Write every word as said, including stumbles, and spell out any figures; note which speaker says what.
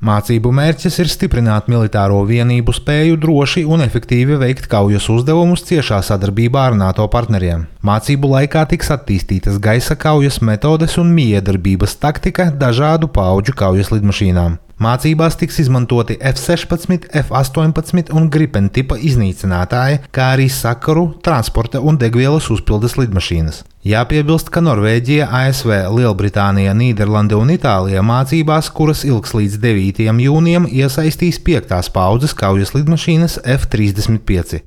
Speaker 1: Mācību mērķis ir stiprināt militāro vienību spēju droši un efektīvi veikt kaujas uzdevumus ciešā sadarbībā ar NATO partneriem. Mācību laikā tiks attīstītas gaisa kaujas metodes un miedarbības taktika dažādu paudžu kaujas lidmašīnām. Mācībās tiks izmantoti F sešpadsmit, F astoņpadsmit un Gripen tipa iznīcinātāji, kā arī sakaru, transporta un degvielas uzpildes lidmašīnas. Jāpiebilst, ka Norvēģija, A S V, Lielbritānija, Nīderlande un Itālija mācībās, kuras ilgs līdz devītajam jūnijam, iesaistīs piektās paaudzes kaujas lidmašīnas F trīsdesmit pieci.